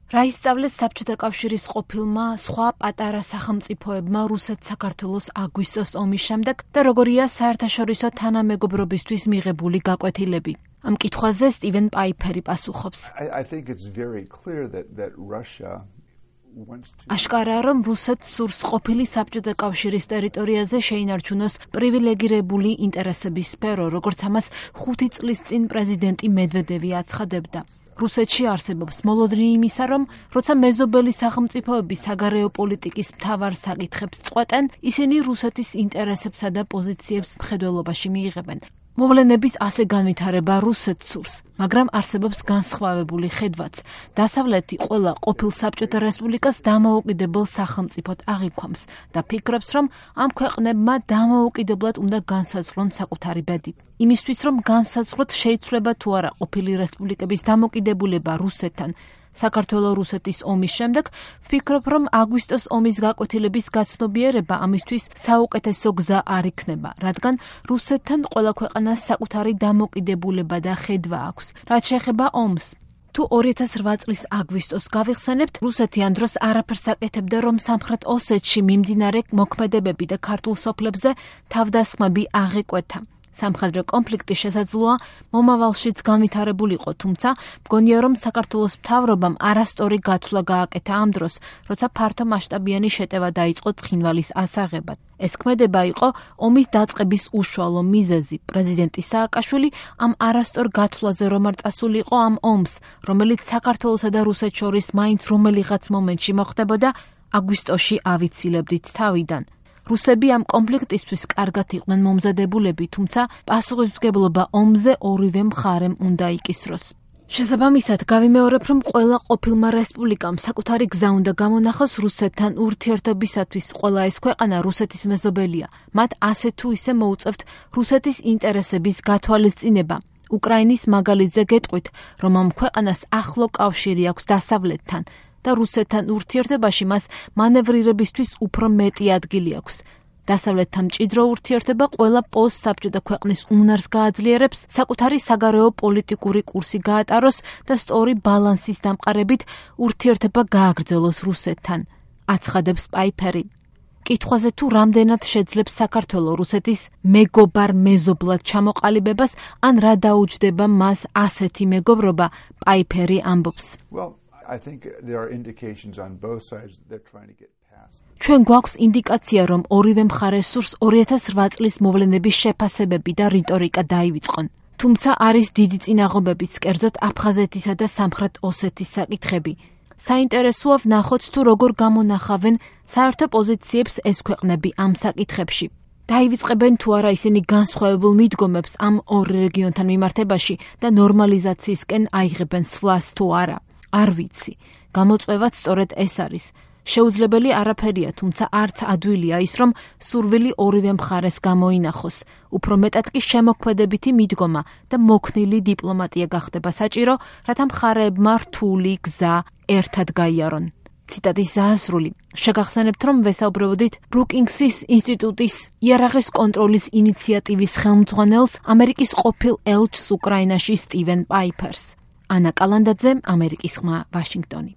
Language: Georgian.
რა ისწავლეს საბჭოთა კავშირის ყოფილმა სხვა პატარა სახელმწიფოებმა რუსეთ-საქართველოს აგვისტოს ომის შემდეგ და როგორია საერთაშორისო თანამეგობრობისთვის მიღებული გაკვეთილები. ამ კითხვაზე სტივენ პაიფერი პასუხობს. აშკარაა, რომ რუსეთს სურს ყოფილი საბჭოთა კავშირის ტერიტორიაზე შეინარჩუნოს პრივილეგირებული ინტერესების სფერო, როგორც ამას 5 წლის წინ პრეზიდენტი მედვედევი აცხადებდა. რუსეთში არსებობს მოლოდინი იმისა, რომ როცა მეზობელი სახელმწიფოები საგარეო პოლიტიკის მთავარ საკითხებს წყვეტენ, ისინი რუსეთის ინტერესებსა და პოზიციებს მხედველობაში მიიღებენ. მოვლენების ასე განვითარება რუსეთს სურს, მაგრამ არსებობს განსხვავებული ხედვაც. დასავლეთი ყველა ყოფილ საბჭოთა რესპუბლიკას დამოუკიდებელ სახელმწიფოდ აღიქვამს და ფიქრობს, რომ ამ ქვეყნებმა დამოუკიდებლად უნდა განსაზღვრონ საკუთარი ბედი. იმისთვის, რომ განსაზღვროთ შეიცვლება თუ არა ყოფილი რესპუბლიკების დამოკიდებულება რუსეთთან, საქართველო-რუსეთის ომის შემდეგ ვფიქრობ, რომ აგვისტოს ომის გაკვეთილების გაცნობიერება ამისთვის საუკეთესო გზა არ იქნება, რადგან რუსეთთან ყველა ქვეყანას საკუთარი დამოკიდებულება და ხედვა აქვს. რაც შეეხება ომს, თუ 2008 წლის აგვისტოს გავიხსენებთ, რუსეთი ამ დროს არაფერს აკეთებდა, რომ სამხრეთ ოსეთში მიმდინარე მოქმედებები და ქართულ სოფლებზე თავდასხმები აღეკვეთა. სამხედრო კონფლიქტი შესაძლოა მომავალშიც განვითარებულიყო, თუმცა მგონია, რომ საქართველოს მთავრობამ არასწორი გათვლა გააკეთა ამ დროს, როცა ფართო მასშტაბიანი შეტევა დაიწყო ცხინვალის ასაღებად. ეს ქმედება იყო ომის დაწყების უშუალო მიზეზი. პრეზიდენტი სააკაშვილი ამ არასწორ გათვლაზე რომ არ წასულიყო ამ ომს, რომელიც საქართველოსა და რუსეთს შორის მაინც რომელიღაც მომენტში მოხდებოდა, აგვისტოში ავიცილებდით თავიდან. რუსები ამ კონფლიქტისთვის კარგად იყვნენ მომზადებულები, თუმცა პასუხისმგებლობა ომზე ორივე მხარემ უნდა იკისროს. შესაბამისად, გავიმეორებ, რომ ყველა ყოფილმა რესპუბლიკამ საკუთარი გზა უნდა გამონახოს რუსეთთან ურთიერთობისათვის. ყველა ეს ქვეყანა რუსეთის მეზობელია. მათ ასე თუ ისე მოუწევთ რუსეთის ინტერესების გათვალისწინება. უკრაინის მაგალითზე გეტყვით, რომ ამ ქვეყანას ახლო კავშირი აქვს დასავლეთთან და რუსეთთან ურთიერთობაში მას მანევრირებისთვის უფრო მეტი ადგილი აქვს. დასავლეთთან მჭიდრო ურთიერთობა ყველა პოსტსაბჭოთა ქვეყნის უნარს გააძლიერებს, საკუთარი საგარეო პოლიტიკური კურსი გაატაროს და სწორი ბალანსის დამყარებით ურთიერთობა გააგრძელოს რუსეთთან, აცხადებს პაიფერი. კითხვაზე თუ რამდენად შეძლებს საქართველო რუსეთის მეგობარ მეზობლად ჩამოყალიბებას, ან რა დაუჯდება მას ასეთი მეგობრობა, პაიფერი ამბობს. ჩვენ გვაქვს ინდიკაცია, რომ ორივე მხარე სურს 2008 წლის მოვლენების შეფასებები და რიტორიკა დაივიწყონ. თუმცა არის დიდი წინაღობებიც, კერძოდ აფხაზეთისა და სამხრეთ ოსეთის საკითხები. საინტერესოა ვნახოთ თუ როგორ გამონახავენ საერთო პოზიციებს ეს ქვეყნები ამ საკითხებში. დაივიწყებენ თუ არა ისინი განსხვავებულ მიდგომებს ამ ორ რეგიონთან მიმართებაში და ნორმალიზაციისკენ აიღებენ სვლას თუ არა. არ ვიცი. გამოწვევაც სწორედ ეს არის. შეუძლებელი არაფერია, თუმცა არც ადვილია ის, რომ სურვილი ორივე მხარეს გამოინახოს. უფრო მეტად კი შემოქმედებითი მიდგომა და მოქნილი დიპლომატია გახდება საჭირო, რათა მხარეებმა რთული გზა ერთად გაიარონ. ციტატის ზაასრული. შეგახსენებთ, რომ ვესაუბრებოდით ბრუკინგსის ინსტიტუტის იარაღის კონტროლის ინიციატივის ხელმძღვანელს, ამერიკის ყოფილ ელჩს უკრაინაში სტივენ პაიფერს. ანა კალანდაძე, ამერიკის ხმა, ვაშინგტონი.